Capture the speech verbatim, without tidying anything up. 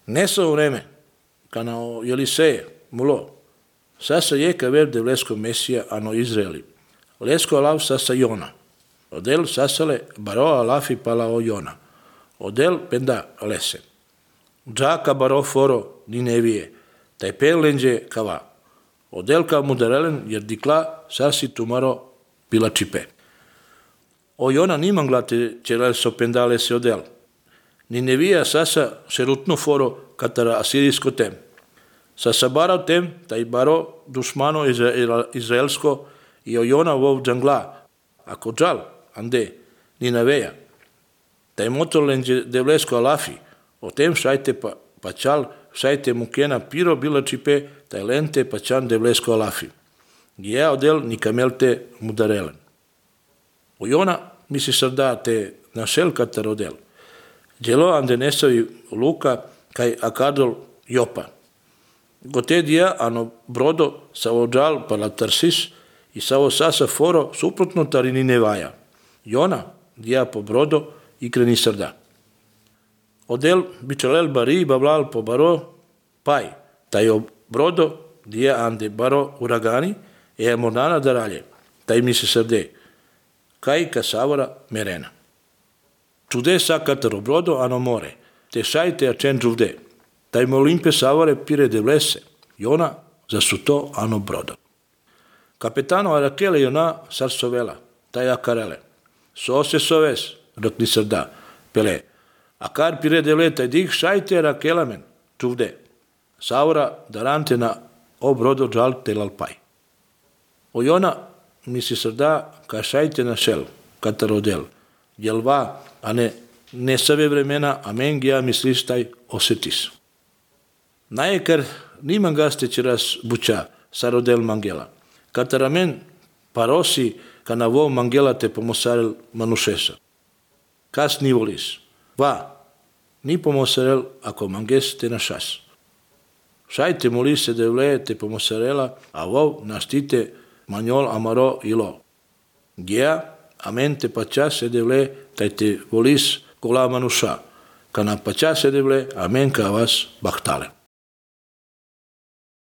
Nessa vreme, kanao Jeliseje, mulo, sasa jeka ver de vlesko Mesija ano Izraeli. Lesko alav sasa Jona. Odel sasale baro alafi pala o Jona. Odel penda lese. Džaka baro foro Ninevije, taj pelenđe kava. Odel ka mudarelen jer dikla sasi tumaro pila čipe. O Jona niman glate čelel so pendale se odel. Ninevija sasa šerutno foro katara asirijsko tem. Sasa barao tem, taj baro dušmano izraelsko i o Jona vov džangla. Ako džal, ande, Ninaveja. Taj motor lenđe devlesko alafi, o tem šajte pa, pačal, šajte mukena piro bila čipe, taj lente pačan devlesko alafi. Gija odel nikamelte mudarelen. O Jona misli sada te našel katar odel. Djelo ande nesavi luka kaj akadol Jopa. Gote dia ano brodo sa ođal pala Tarsis i sa o sasa foro suprotno tari Ninevaja. Jona dia po brodo i kreni srda. Odel bičalel bari bablal po baro paj. Taj o brodo dia ande baro uragani e mornana daralje. Taj mi se srde. Kaj kasavara merena. Čude sa kataro brodo ano more. Te šajte a čen čuvde. Taj molimpe savare pire de vlese. Jona za su to ano brodo. Kapetano arakele Jona sarsovela. Taj akarele. So se soves, rok ni srda. Pele. Akar pire de vle taj dik šajte arakelamen. Čuvde. Savara darante na o brodo džal telal paj. O Jona mi se srda ka šajte na šel. Katarodel. Jelva, a ne ne save vremena, a mengija misliš taj osetis. Najekar niman gaste čiras buča, sarodel mangela. Kataramen parosi kana vo mangela te pomosarel manušesa. Kas ni volis? Va, ni pomosarel ako manges te na šas. Šajte molise de vle te pomosarela, a vo naštite manjol amaro ilo. Gija, amen te pača se de vle, taj te volis kola manuša. Kana pača se de vle, amen ka vas bahtale.